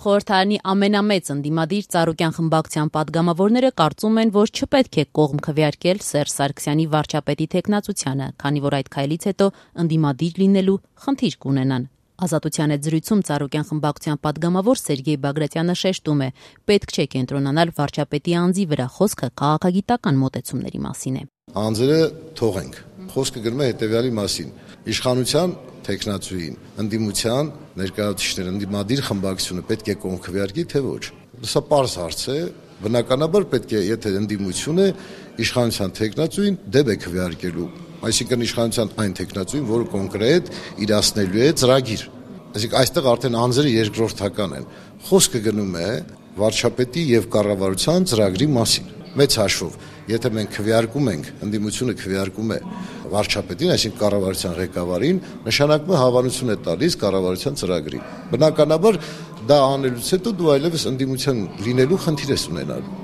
Խորհրդարանի ամենամեծ ընդդիմադիր Ծառուկյան խմբակցության պատգամավորները կարծում են, որ չպետք է կողմ քվեարկել Սերժ Սարգսյանի վարչապետի թեկնածությանը, քանի որ այդ քայլից հետո ընդդիմադիր լինելու խնդիր կունենան։ Ազատության հետ զրույցում Ծառուկյան խմբակցության պատգամավոր Սերգեյ Բագրատյանը շեշտում է, պետք չէ կենտրոնանալ վարչապետի անձի վրա, խոսքը քաղաքագիտական մոտեցումների մասին է։ Անձերը թողենք, խոսքը գնում է հետևյալի մասին. իշխանության թեկնածուին, ընդդիմության ներկայացուցիչները, ընդդիմադիր խմբակցությունը պետք է կողմ քվեարկի, թե ոչ։ Սա պարզ հարց է, բնականաբար պետք է, եթե ընդդիմությունը իշխանության թեկնածուին դեպ է քվեարկելու, այսինքն իշխանության այն թեկնածուին, որը կոնկրետ իրացնելու է ծրագիր։ Այսինքն այստեղ արդեն անձերը երկրորդական են։ Խոսքը գնում է վարչապետի եւ կառավարության ծրագրի մասին։ Մեծ հաշվով, եթե մենք քվեարկում ենք, ընդդիմությունը քվեարկում է վարչապետին, այսինքն կառավարության ղեկավարին, նշանակում է հավանություն է տալիս կառավարության ծրագրի։ Բնականաբար դա անելուց հետո դու այլևս ընդդիմության լինելու խնդիր ես ունենալու։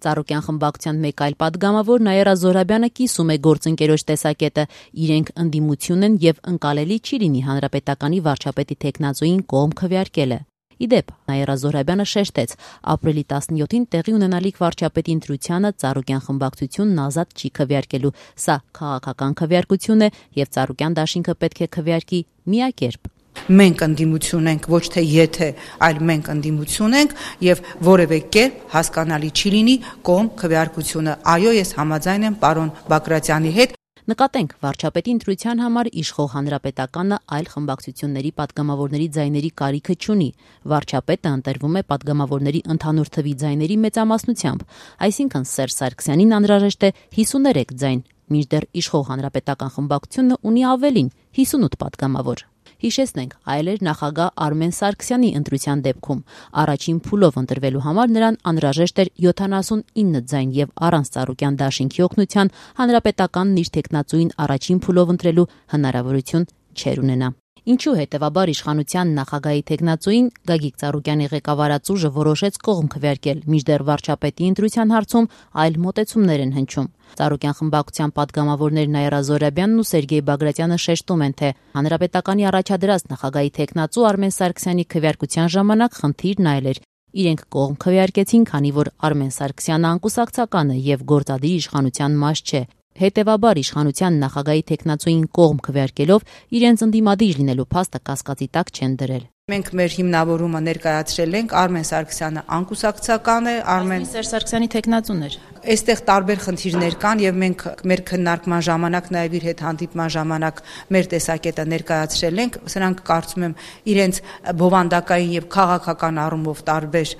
Ծառուկյան խմբակցության մեկ այլ պատգամավոր Նաիրա Զոհրաբյանը կիսում է գործընկերոջ տեսակետը, իրենք ընդդիմություն են եւ ընկալելի չի լինի հանրապետականի վարչապետի թեկնածուին կողմ քվեարկելը։ Իդեպ, Նաիրա Զոհրաբյանը շեշտեց, ապրիլի 17-ին տեղի ունենալիք վարչապետի ընտրությանը Ծառուկյան խմբակցությունն ազատ չի քվեարկելու։ Սա քաղաքական քվեարկություն է եւ Ծառուկյան դաշինքը պետք է քվեարկի միակերպ։ Մենք ընդդիմություն ենք, ոչ թե եթե, այլ մենք ընդդիմություն ենք եւ որևէ կերպ հասկանալի չի լինի կողմ քվեարկությունը։ Այո, ես համաձայն եմ պարոն Բագրատյանի հետ։ Նկատենք, վարչապետի ընտրության համար իշխող հանրապետականը այլ խմբակցությունների պատգամավորների ձայների կարիքը չունի։ Վարչապետը ընտրվում է պատգամավորների ընդհանուր թվի ձայների մեծամասնությամբ, այսինքն Սերժ Սարգսյանին անհրաժեշտ է 53 ձայն, մինչդեռ իշխող հանրապետական խմբակցությունը ունի ավելին 58 պատգամավոր։ Հիշեցնենք, այլ էր նախագահ Արմեն Սարգսյանի ընտրության դեպքում։ Առաջին փուլով ընտրվելու համար նրան անհրաժեշտ էր 79 ձայն եւ առանց Ծառուկյան դաշինքի օգնության հանրապետականն իր թեկնածուին առաջին փուլով ընտրելու հնարավորություն չէր ունենա։ Ինչու հետևաբար իշխանության նախագահի թեկնածուին Գագիկ Ծառուկյանի ղեկավարած ուժը որոշեց կողմ քվեարկել, մինչդեռ վարչապետի ընտրության հարցում այլ մոտեցումներ են հնչում։ Ծառուկյան խմբակցության պատգամավորներ Նաիրա Զոհրաբյանն ու Սերգեյ Բագրատյանը շեշտում են, թե հանրապետականի առաջադրած նախագահի թեկնածու Արմեն Սարգսյանի քվեարկության ժամանակ խնդիրն այլ էր։ Իրենք կողմ քվեարկեցին, քանի որ Արմեն Սարգսյանը անկուսակցական է եւ գործադիր իշխանության մաս չէ։ Հետևաբար իշխանության նախագահի թեկնածուին կողմ քվեարկելով իրենց ընդդիմադիր լինելու փաստը կասկածի տակ չեն դրել։ Մենք մեր հիմնավորումը ներկայացրել ենք, Արմեն Սարգսյանը անկուսակցական է, Սերժ Սարգսյանի թեկնածուն էր։ Այստեղ տարբեր խնդիրներ կան եւ մենք մեր քննարկման ժամանակ, նաեւ իր հետ հանդիպման ժամանակ մեր տեսակետը ներկայացրել ենք, սրանք կարծում եմ իրենց բովանդակային եւ քաղաքական առումով տարբեր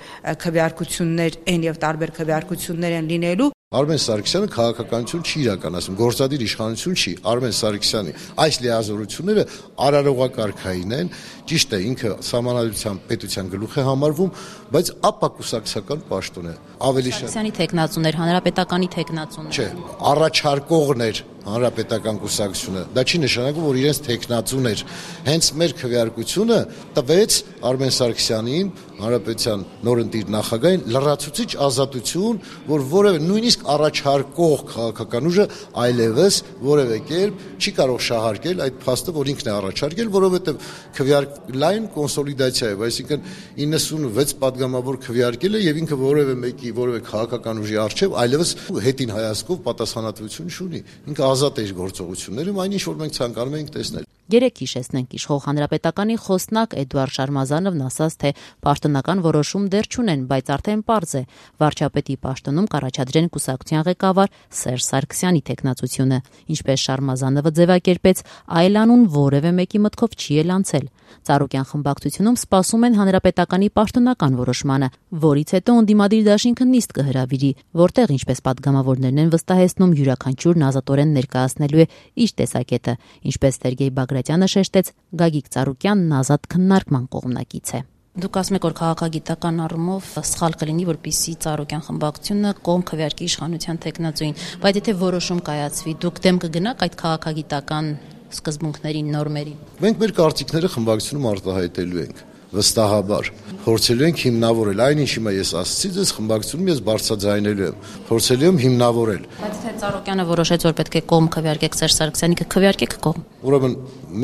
քվեարկություններ են եւ տարբեր քվեարկություններ են լինելու։ Արմեն Սարգսյանը քաղաքականություն չի իրականացնում, գործադիր իշխանություն չի։ Արմեն Սարգսյանի այս լիազորությունները արարողակարգային են, ճիշտ է, ինքը սահմանադրության պետության գլուխ է համարվում, բայց ապակուսակցական պաշտոն է։ Ավելի շատ Սարգսյանի թեկնածուն էր, հանրապետականի թեկնածուն էր։ Չէ, առաջարկողն էր հանրապետական կուսակցությունը։ Դա չի նշանակում, որ իրենց թեկնածուն էր։ Հենց մեր քվեարկությունը տվեց Արմեն Սարգսյանին, հանրապետության նորընտիր նախագահին, լրացուցիչ ազատություն, որ որևէ նույնիսկ առաջարկող քաղաքական ուժը այլևս որևէ կերպ չի կարող շահարկել այդ փաստը, որ ինքն է առաջարկել, որովհետև քվեարկլային կոնսոլիդացիա է, այսինքն 96 պատգամավոր քվեարկել է եւ ինքը որևէ մեկի, որևէ քաղաքական ուժի արժեվ այլևս հետին հայացքով պատասխանատվություն չունի։ Ինքը ազատ է իր գործողություններում, այնինչ որ մենք ցանկանում ենք տեսնել։ Երեք հիշեցնենք իշխող հանրապետականի խոսնակ Էդուարդ Շարմազանովն ասաց, թե պաշտոնական որոշում դեռ չունեն, բայց արդեն պարզ է, վարչապետի պաշտոնում կառաջադրեն կուսակցության ղեկավար Սերժ Սարգսյանի թեկնածությունը։ Ինչպես Շարմազանովը ձևակերպեց, այլ անուն որևէ մեկի մտքով չի էլ անցել։ Ծառուկյան խմբակցությունում սպասում են հանրապետականի պաշտոնական որոշմանը, որից հետո ընդդիմադիր դաշինքը նիստ կհրավիրի, որտեղ, ինչպես պատգամավորներն են վստահեցնում, յուրաքանչյուրն ազատորեն ներկայացնելու է իր տեսակետը, ինչպես Սերգեյ Բագրատյանը շեշտեց, Գագիկ Ծառուկյանն ազատ քննարկման կողմնակից է։ Դուք ասում եք, որ քաղաքագիտական առումով սխալ կլինի, որպեսզի Ծառուկյան խմբակցությունը կողմ քվեարկի իշխանության թեկնածուին, բայց եթե որոշում կայացվի, դուք դեմ կգնաք այդ քաղաքագիտական սկզբունքներին, նորմերին։ Մենք մեր կարծիքները խմբակցությունում արտահայտելու ենք, վստահաբար։ Փորձելու ենք հիմնավորել, այնինչ հիմա ես ասացի, ձեզ խմբակցությունում ես բարձրաձայնելու եմ, փորձելու եմ հիմնավորել։ Բայց թե Ծառուկյանը որոշեց, որ պետք է կողմ քվեարկեք Սերժ Սարգսյանի, կքվեարկեք կողմ։ Ուրեմն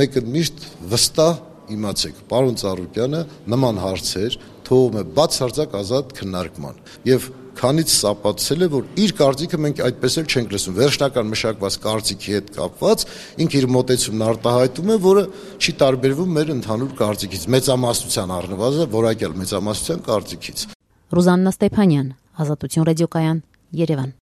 մեկը միշտ վստահ իմացեք, պարոն Ծառուկյանը նման հարցեր թողում է բացարձակ ազատ քննարկման։ Եվ քանից սապացել է, որ իր կարծիքը մենք այդպես էլ չենք լսում։ Վերջնական մշակված կարծիքի հետ կապված ինքը իր մոտեցումն արտահայտում է, որը չի տարբերվում մեր ընդհանուր կարծիքից, մեծամասնության առնվազն որակյալ մեծամասնության կարծիքից։ Ռուզաննա Ստեփանյան, Ազատություն ռադիոկայան, Երևան։